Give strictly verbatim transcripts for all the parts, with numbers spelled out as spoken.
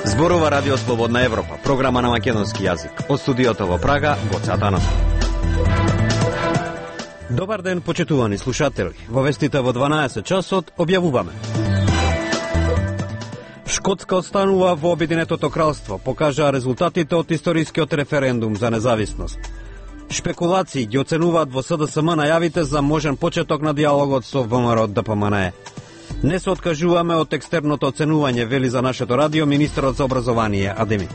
Зборува Радио Слободна Европа, програма на македонски јазик. Од студиото во Прага, Гоце Атанасов. Добар ден, почитувани слушатели. Во вестите во дванаесет часот објавуваме. Шкотска останува во Обединетото кралство, покажаа резултатите од историскиот референдум за независност. Шпекулации ги оценуваат во СДСМ најавите за можен почеток на диалогот со ВМРО ДПМНЕ. Не се откажуваме од екстерното оценување, вели за нашето радио министерот за образование Адеми.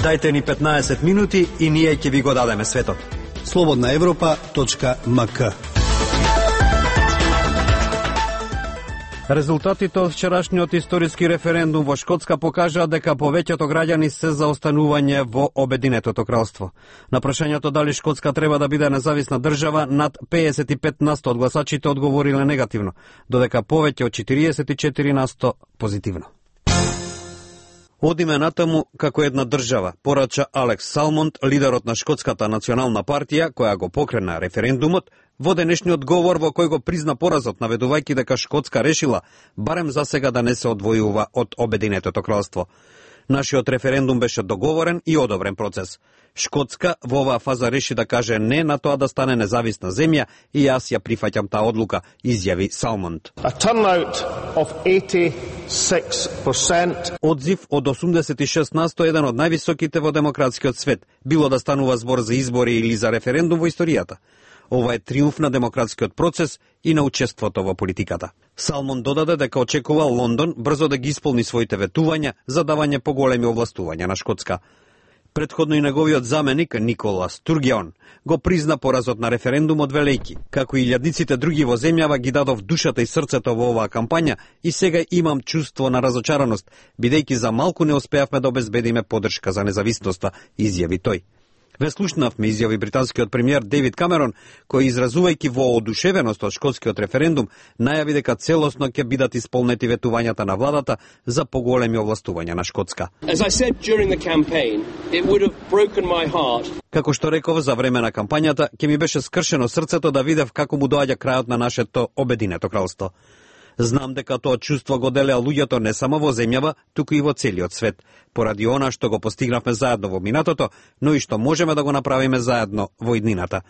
Дајте ни петнаесет минути и ние ќе ви го дадеме светот. слободна европа точка ем ка. Резултатите од вчерашниот историски референдум во Шкотска покажаа дека повеќето граѓани се за останување во Обединетото кралство. На прашањето дали Шкотска треба да биде независна држава, над педесет и пет на сто од гласачите одговориле негативно, додека повеќе од четириесет и четири на сто позитивно. Одиме натаму како една држава, порача Алекс Салмонд, лидерот на Шкотската национална партија, која го покрена референдумот, во денешниот говор во кој го призна поразот, наведувајќи дека Шкотска решила барем за сега да не се одвојува од Обединетото кралство. Нашиот референдум беше договорен и одобрен процес. Шкотска во оваа фаза реши да каже не на тоа да стане независна земја и јас ја прифаќам таа одлука, изјави Салмонд. A turnout of eighty-six percent. Одзив од осумдесет и шест на сто, еден од највисоките во демократскиот свет, било да станува збор за избори или за референдум во историјата. Ова е триумф на демократскиот процес и на учеството во политиката. Салмон додаде дека очекува Лондон брзо да ги исполни своите ветувања за давање поголеми овластувања на Шкотска. Предходно и неговиот заменик Никола Стургеон го призна поразот на референдумот велејќи, како и илјадниците други во земјава ги дадов душата и срцето во оваа кампања и сега имам чувство на разочараност, бидејќи за малку не успеавме да обезбедиме поддршка за независноста, изјави тој. Ве слушнавме, изјави британскиот премиер Дейвид Камерон, кој изразувајќи воодушевеност од шкотскиот референдум, најави дека целосно ќе бидат исполнети ветувањата на владата за поголеми овластувања на Шкотска. Campaign, Како што реков за време на кампањата, ќе ми беше скршено срцето да видев како му доаѓа крајот на нашето Обединето кралство. Знам дека тоа чувство го делеа луѓето не само во земјава, туку и во целиот свет, поради она што го постигнавме заедно во минатото, но и што можеме да го направиме заедно во иднината.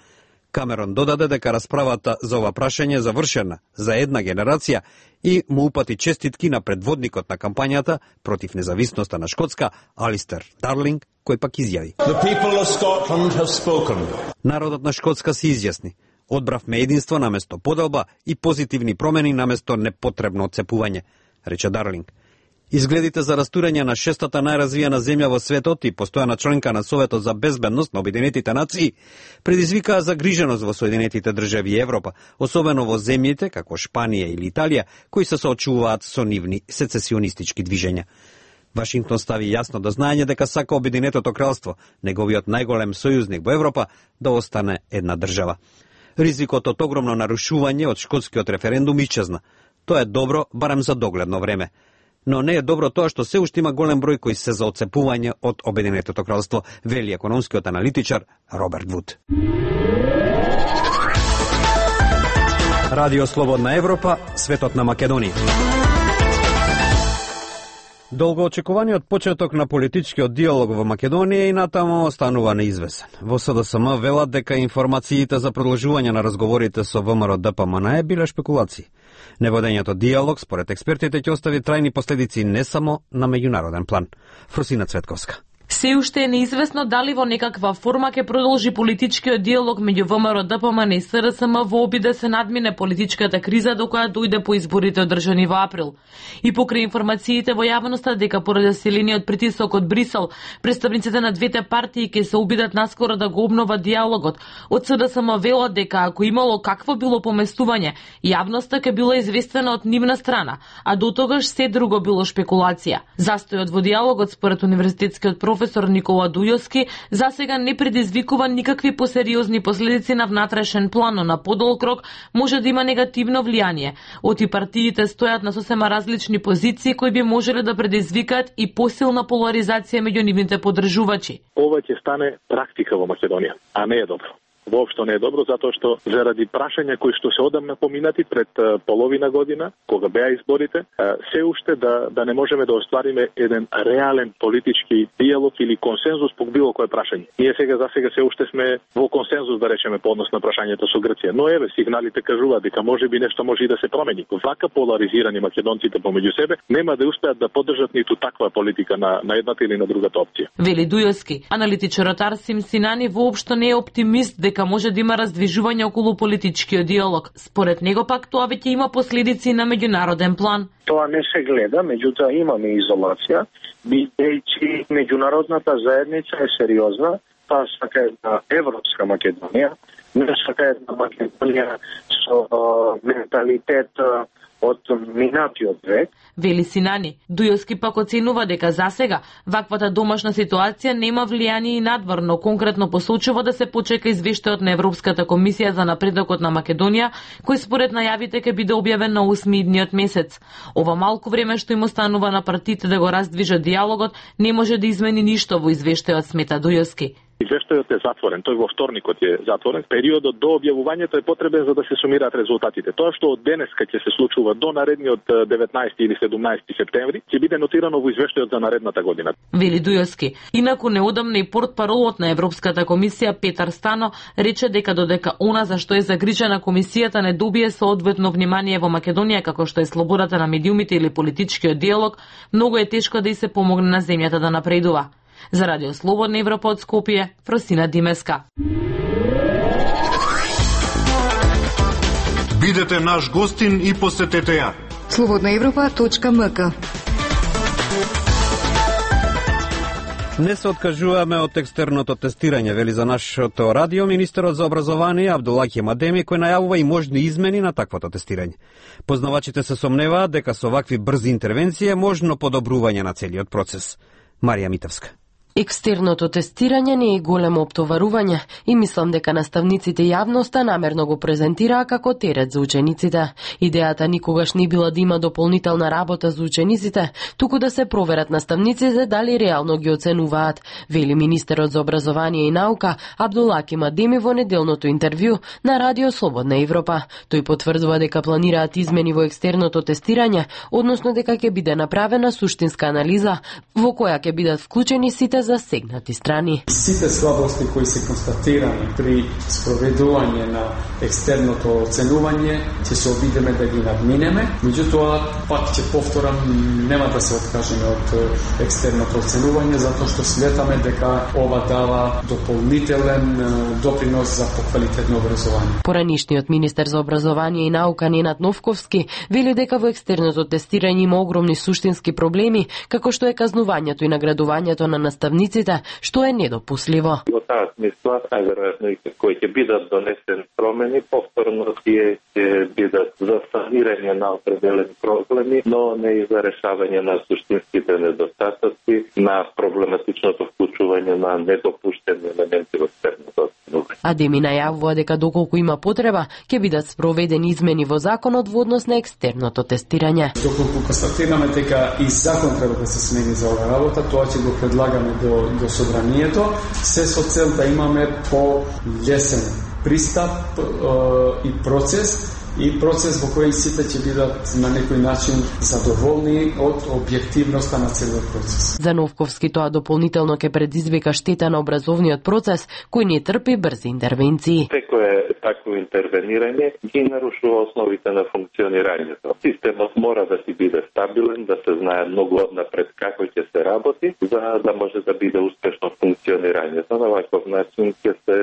Камерон додаде дека расправата за ова прашање е завршена за една генерација и му упати честитки на предводникот на кампањата против независноста на Шкотска, Алистер Дарлинг, кој пак изјави: Народот на Шкотска се изјасни. Одбравме единство наместо поделба и позитивни промени наместо непотребно отцепување, рече Дарлинг. Изгледите за растурање на шестата најразвиена земја во светот и постојана членка на Советот за безбедност на Обединетите нации предизвикаа загриженост во Соединетите држави и Европа, особено во земјите како Шпанија или Италија, кои се соочуваат со нивни сецесионистички движења. Вашингтон стави јасно до знаење дека сака Обединетото кралство, неговиот најголем сојузник во Европа, да остане една држава. Ризикот од огромно нарушување од шкотскиот референдум исчезна. Тоа е добро, барем за догледно време. Но не е добро тоа што се уште има голем број кои се за отцепување од Обединетото кралство, вели економскиот аналитичар Роберт Вуд. Радио Слободна Европа, светот на Македонија. Долгоочекуваниот почеток на политичкиот диалог во Македонија и натаму останува неизвесен. Во СДСМ велат дека информациите за продолжување на разговорите со ВМРО ДПМНЕ биле шпекулации. Неводењето диалог, според експертите, ќе остави трајни последици не само на меѓународен план. Фрусина Цветковска. Се уште е неизвестно дали во некаква форма ќе продолжи политичкиот диалог меѓу ВМРО ДПМНЕ и СДСМ во обид да се надмине политичката криза до која дојде по изборите одржани во април. И покрај информациите во јавноста дека поради силниот притисок од Брисел, представниците на двете партии ќе се обидат наскоро да го обноват диалогот. Од СДСМ велат дека ако имало какво било поместување, јавноста ќе била известена од нивна страна, а до тогаш се друго било шпекулација. Застојот во диалогот според универзитетскиот професор професор Никола Дујовски, засега не предизвикува никакви посериозни последици на внатрешен план, но на подолг рок може да има негативно влијание. Оти партиите стојат на сосема различни позиции кои би можеле да предизвикаат и посилна поларизација меѓу нивните поддржувачи. Ова ќе стане практика во Македонија, а не е добро. Воопшто не е добро, затоа што заради прашања кои што се одамна поминати пред половина година, кога беа изборите, се уште да да не можеме да оствариме еден реален политички диалог или консензус по било кое прашање. Ние сега за сега се уште сме во консензус, да речеме, по однос на прашањето со Грција, но еве сигналите кажуваат дека можеби нешто може и да се промени. Вака поларизирани македонците помеѓу себе нема да успеат да поддржат ниту таква политика на на едната или на другата опција. Вели Дујовски, аналитичарот Арсим Синани воопшто не е оптимист дека може да има раздвижување околу политичкиот диалог. Според него пак тоа веќе има последици на меѓународен план. Тоа не се гледа, меѓутоа имаме изолација, бидејќи меѓународната заедница е сериозна, таа сака една европска Македонија, не сака една Македонија со менталитет од минатиот век. Вели Синани, Дујовски пак оценува дека засега ваквата домашна ситуација нема влијание и надвор, конкретно посочува да се почека извештајот на Европската комисија за напредокот на Македонија, кој според најавите ќе биде објавен на осми идниот месец. Ова малку време што им останува на партиите да го раздвижат диалогот, не може да измени ништо во извештајот, смета Дујовски. Извештајот е затворен, тој во вторникот е затворен. Периодот до објавувањето е потребен за да се сумираат резултатите. Тоа што од денеска ќе се случува до наредниот деветнаесети или седумнаесети септември ќе биде нотирано во извештајот за наредната година. Вели Дујовски. Инаку неодамна и портпаролот на Европската комисија Петар Стано рече дека додека она за што е загрижена комисијата не добие соодветно внимание во Македонија, како што е слободата на медиумите или политичкиот диалог, многу е тешко да и се помогне на земјата да напредува. За Радио Слободна Европа од Скопје, Фросина Димеска. Бидете наш гостин и посетете ја. слободна европа точка ем ка. Не се откажуваме од екстерното тестирање, вели за нашето радио министерот за образование Абдулаки Мадеми, кој најавува и можни измени на таквото тестирање. Познавачите се сомневаат дека со вакви брзи интервенции е можно подобрување на целиот процес. Марија Митевска. Екстерното тестирање не е големо оптоварување и мислам дека наставниците јавноста намерно го презентираа како терет за учениците. Идејата никогаш не била да има дополнителна работа за учениците, туку да се проверат наставниците дали реално ги оценуваат, вели министерот за образование и наука Абдулаки Мадеми во неделното интервју на Радио Слободна Европа. Тој потврдува дека планираат измени во екстерното тестирање, односно дека ќе биде направена суштинска анализа во која ќе бидат вклучени сите засегнати страни. Сите слабости кои се констатирани при спроведување на екстерното оценување ќе се обидеме да ги надминеме, меѓутоа пак ќе повторам, нема да се откажеме од екстерното оценување затоа што сметаме дека ова дава дополнителен допринос за поквалитетно образование. Поранишниот министер за образование и наука Ненад Новковски вели дека во екстерното тестирање има огромни суштински проблеми, како што е казнувањето и наградувањето на наставниците, што е недопусливо. Во таа смисла, најверојатно и кои ќе бидат донесени промени, повторно тие ќе бидат за санирање на определени проблеми, но не и за решавање на суштинските недостатоци, на проблематичното вклучување на недопуштени елементи во екстерното оценување. Адеми најавува дека доколку има потреба, ќе бидат спроведени измени во законот во однос на екстерното тестирање. Доколку констатираме дека и закон треба да се смени за оваа работа, тоа ќе го предлагаме до, до собранието, се со цел да имаме по-лесен пристап е, и процес, и процес во кој сите ќе бидат на некој начин задоволни од објективноста на целиот процес. За Новковски тоа дополнително ќе предизвика штета на образовниот процес, кој не трпи брзи интервенции. Секое такво интервенирање ги нарушува основите на функционирањето. Системот мора да си биде стабилен, да се знае многу однапред како ќе се работи, за да може да биде успешно функционирањето. На ваков начин ќе се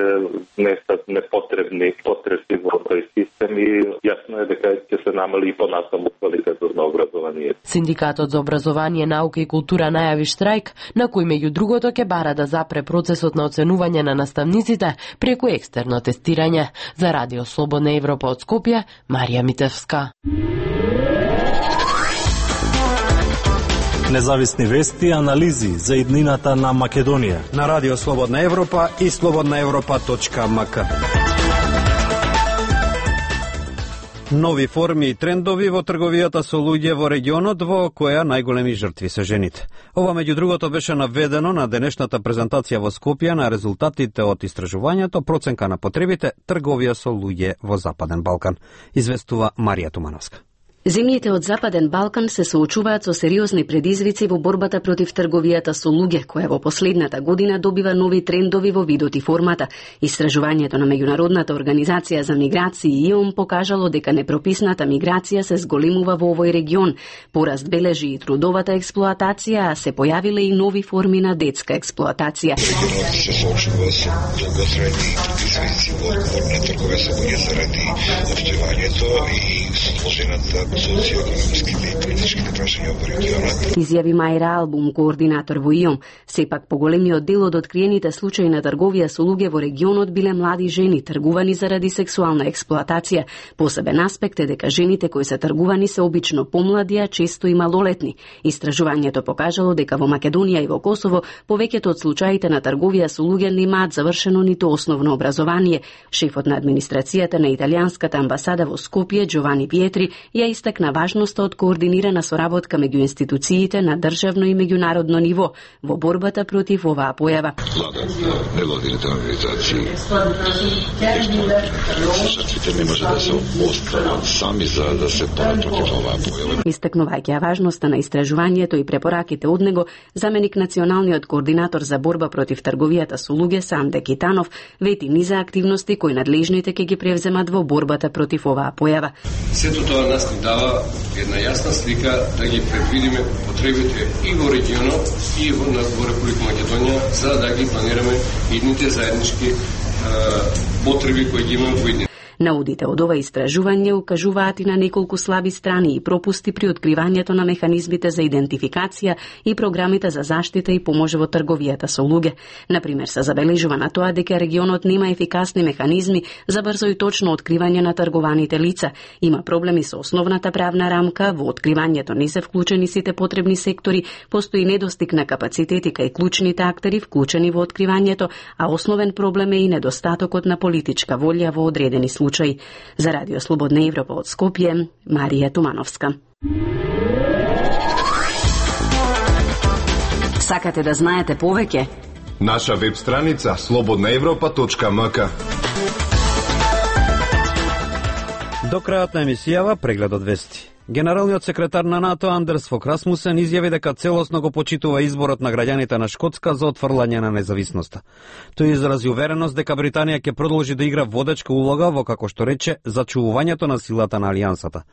внесат непотребни потреси во тој систем и јасно е дека ќе се намали и понатаму квалитетот на образованието. Синдикатот за образование, наука и култура најави штрајк, на кој меѓу другото ќе бара да запре процесот на оценување на наставниците преку екстерно тестирање. За Радио Слободна Европа од Скопје, Марија Митевска. Независни вести и анализи за иднината на Македонија. На Радио Слободна Европа и слободна европа точка ем ка. Нови форми и трендови во трговијата со луѓе во регионот во која најголеми жртви се жените. Ова меѓу другото беше наведено на денешната презентација во Скопје на резултатите од истражувањето проценка на потребите трговија со луѓе во Западен Балкан, известува Марија Тумановска. Земјите од Западен Балкан се соочуваат со сериозни предизвици во борбата против трговијата со луѓе, која во последната година добива нови трендови во видот и формата. Истражувањето на Меѓународната организација за миграција и ООН покажало дека непрописната миграција се зголемува во овој регион. Пораст бележи и трудовата експлоатација, а се појавиле и нови форми на детска експлоатација. Регионот се соочува со долготрајни предизвици во одговор на трговија со луѓе заради обстојувањето и сложената социјално-економските и политичките прашања во регионот. Изјави Мајра Албум, координатор во ИОМ. Сепак поголемиот дел од откриените случаи на трговија со луѓе во регионот биле млади жени тргувани заради сексуална експлоатација. Посебен аспект е дека жените кои се тргувани се обично помлади, а често и малолетни. Истражувањето покажало дека во Македонија и во Косово повеќето од случаите на трговија со луѓе немаат завршено ниту основно образование. Шефот на администрацијата на италијанската амбасада во Скопје, Джовани Пиетри, ја истакна важноста од координирана соработка меѓу институциите на државно и меѓународно ниво во борбата против оваа појава. Влада, невладините организации, жртвите не може да се остават сами за да се борат против оваа појава. Истакнувајќи важноста на истражувањето и препораките од него, заменик националниот координатор за борба против трговијата со луѓе Санде Китанов вети низа активности кои надлежните ќе ги превземат во борбата против оваа појава. Сето тоа нас ни дава една јасна слика да ги предвидиме потребите и во регионот и во, во Република Македонија за да ги планираме идните заеднички е, потреби кои ги имаме во идните. Наудите од ова истражување укажуваат и на неколку слаби страни и пропусти при откривањето на механизмите за идентификација и програмите за заштита и помош во трговијата со луѓе. Например, се забележува на тоа дека регионот нема ефикасни механизми за брзо и точно откривање на тргуваните лица. Има проблеми со основната правна рамка, во откривањето не се вклучени сите потребни сектори, постои недостиг на капацитети кај клучните актери вклучени во откривањето, а основен проблем е и недостатокот на политичка волја во одредени случаи. За Радио Слободна Европа од Скопје, Марија Тумановска. Сакате да знаете повеќе? Наша веб страница слободна европа точка ем ка. До крајот на емисијава преглед од вести. Генералниот секретар на НАТО Андерс Фок Расмусен изјави дека целосно го почитува изборот на граѓаните на Шкотска за отфрлање на независноста. Тој изрази увереност дека Британија ќе продолжи да игра водечка улога во, како што рече, зачувувањето на силата на алијансата.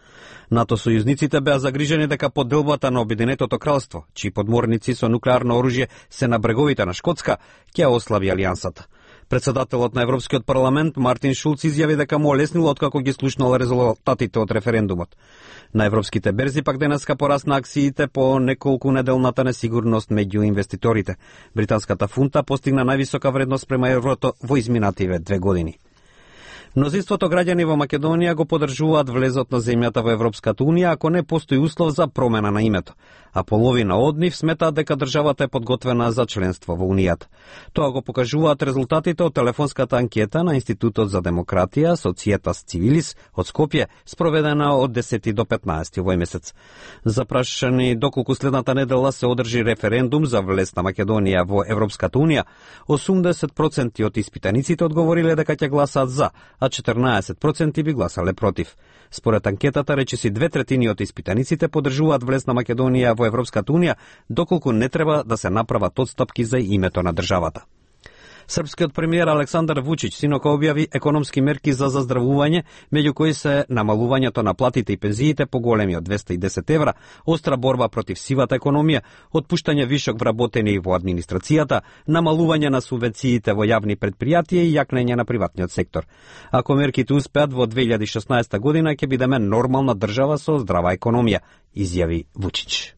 НАТО сојузниците беа загрижени дека поделбата на Обединетото кралство, чии подморници со нуклеарно оружје се на бреговите на Шкотска, ќе ослаби алијансата. Председателот на Европскиот парламент Мартин Шулц изјави дека му олеснило откако ги слушнал резултатите од референдумот. На европските берзи пак денеска порасна акциите по неколку неделната несигурност меѓу инвеститорите. Британската фунта постигна највисока вредност према еврото во изминативе две години. Мнозинството граѓани во Македонија го поддржуваат влезот на земјата во Европската унија ако не постои услов за промена на името, а половина од нив сметаат дека државата е подготвена за членство во Унијата. Тоа го покажуваат резултатите од телефонската анкета на Институтот за демократија Societas Civilis од Скопје, спроведена од десети до петнаесети овој месец. Запрашани доколку следната недела се одржи референдум за влез на Македонија во Европската унија, осумдесет проценти од испитаниците одговориле дека ќе гласаат за, а четрнаесет проценти би гласале против. Според анкетата, речиси две третини од испитаниците поддржуваат влез на Македонија во Европската унија, доколку не треба да се направат отстапки за името на државата. Српскиот премиер Александар Вучич синока објави економски мерки за заздравување, меѓу кои се намалувањето на платите и пензиите по големи од двесте и десет евра, остра борба против сивата економија, отпуштање вишок вработени во администрацијата, намалување на субвенциите во јавни предпријатија и јакнење на приватниот сектор. Ако мерките успеат во две илјади и шеснаесета година ќе бидеме нормална држава со здрава економија, изјави Вучич.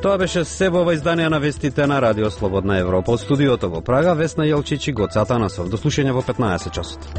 Тоа беше се во ова издание на вестите на Радио Слободна Европа. Од студиото во Прага, Весна Јелчич и Гоце Атанасов. До слушање во петнаесет часот.